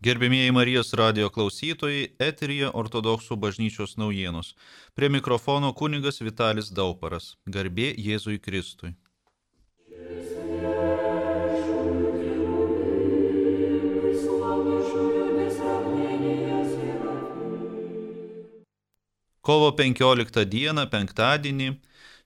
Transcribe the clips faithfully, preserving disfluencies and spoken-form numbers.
Gerbėmieji Marijos radijo klausytojai, eteryje Ortodoksų bažnyčios naujienos. Prie mikrofono kunigas Vitalis Dauparas. Garbė Jėzui Kristui. Kovo penkioliktą dieną, penktadienį,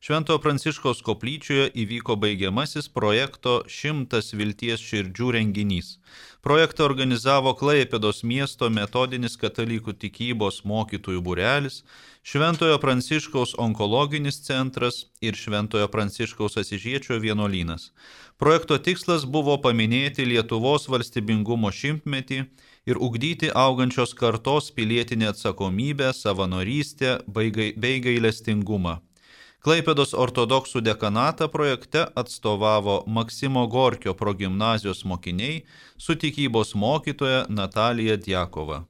Šventojo Pranciškaus koplyčioje įvyko baigiamasis projekto Šimtas vilties širdžių renginys. Projektą organizavo Klaipėdos miesto metodinis katalikų tikybos mokytojų būrelis, Šventojo Pranciškaus onkologinis centras ir Šventojo Pranciškaus Asyžiečio vienuolynas. Projekto tikslas buvo paminėti Lietuvos valstybingumo šimtmetį ir ugdyti augančios kartos pilietinę atsakomybę, savanorystę bei gailestingumą. Klaipėdos ortodoksų dekanatą projekte atstovavo Maksimo Gorkio progimnazijos mokiniai su tikybos mokytoja Natalija Djakova.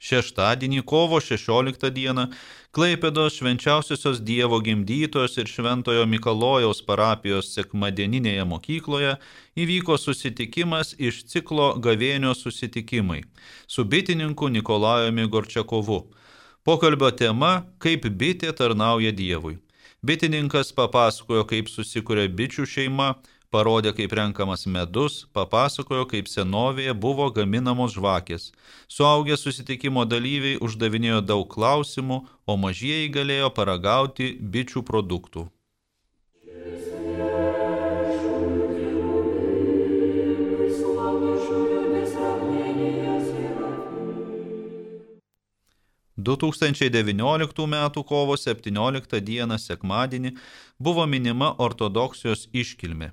Šeštadienį, kovo šešioliktą dieną, Klaipėdos Švenčiausiosios Dievo gimdytojos ir Šventojo Mikalojaus parapijos sekmadieninėje mokykloje įvyko susitikimas iš ciklo Gavėnio susitikimai su bitininku Nikolajumi Gorčiakovu. Pokalbio tema – kaip bitė tarnauja Dievui. Bitininkas papasakojo, kaip susikuria bičių šeima, parodė, kaip renkamas medus, papasakojo, kaip senovėje buvo gaminamos žvakės. Suaugę susitikimo dalyviai uždavinėjo daug klausimų, o mažieji galėjo paragauti bičių produktų. du tūkstančiai devynioliktų metų kovo septynioliktą dieną sekmadienį buvo minima ortodoksijos iškilmė.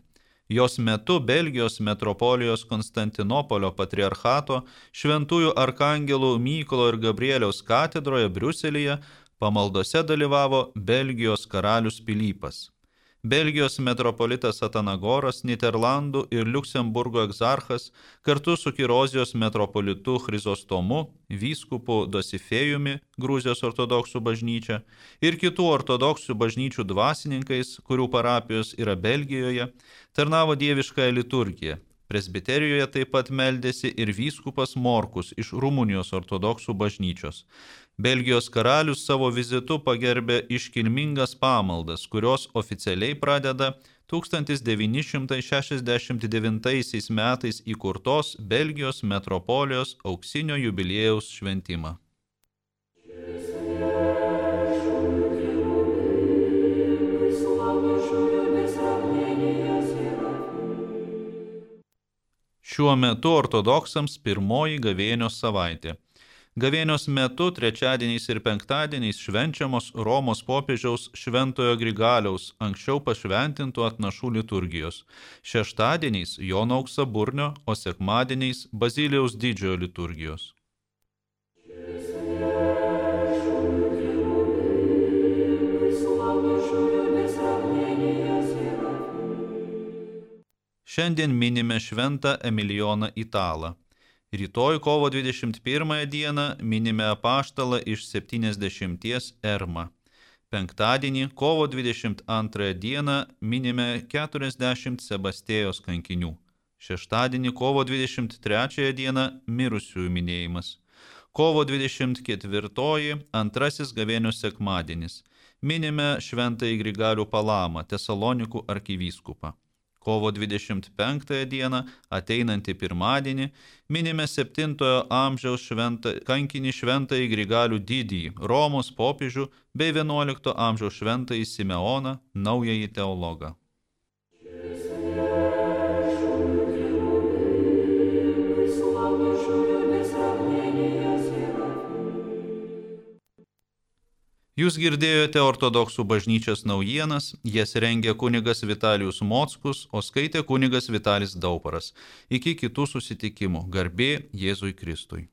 Jos metu Belgijos metropolijos Konstantinopolio patriarchato šventųjų arkangelų Mykolo ir Gabrieliaus katedroje Briuselyje pamaldose dalyvavo Belgijos karalius Pilypas. Belgijos metropolitas Atanagoras, Nyderlandų ir Liuksemburgo egzarchas kartu su Kirozijos metropolitu Chrizostomu, vyskupu Dosifėjumi, Gruzijos ortodoksų bažnyčia, ir kitų ortodoksų bažnyčių dvasininkais, kurių parapijos yra Belgijoje, tarnavo dieviškąją liturgiją. Presbiterijoje taip pat meldėsi ir vyskupas Morkus iš Rumunijos ortodoksų bažnyčios. Belgijos karalius savo vizitu pagerbė iškilmingas pamaldas, kurios oficialiai pradeda tūkstantis devyni šimtai šešiasdešimt devintaisiais metais įkurtos Belgijos metropolijos auksinio jubiliejaus šventimą. Šiuo metu ortodoksams pirmoji gavėnios savaitė. Gavėnios metu trečiadieniais ir penktadieniais švenčiamos Romos popiežiaus Šventojo Grigaliaus anksčiau pašventintų atnašų liturgijos. Šeštadieniais Jono Auksaburnio, o sekmadieniais Bazilijaus didžiojo liturgijos. Šiandien minime šventą Emilijoną Italą. Rytoj kovo dvidešimt pirmąją dieną minime apaštalą iš septyniasdešimties Ermą. Penktadienį kovo dvidešimt antrąją dieną minime keturiasdešimt Sebastėjos kankinių. Šeštadienį kovo dvidešimt trečiąją dieną mirusiųjų minėjimas. Kovo dvidešimt ketvirtoji antrasis gavėnios sekmadienis. Minime šventąjį Grigalių Palamą, Tesalonikų arkivyskupą. Kovo dvidešimt penktąją dieną, ateinantį pirmadienį, minime septintojo amžiaus šventą, kankinį šventąjį Grigalių didįjį, Romos popiežių bei vienuolikto amžiaus šventąjį Simeoną, naująjį teologą. Jūs girdėjote ortodoksų bažnyčios naujienas, jas rengė kunigas Vitalijus Mockus, o skaitė kunigas Vitalis Dauparas. Iki kitų susitikimų. Garbė Jėzui Kristui.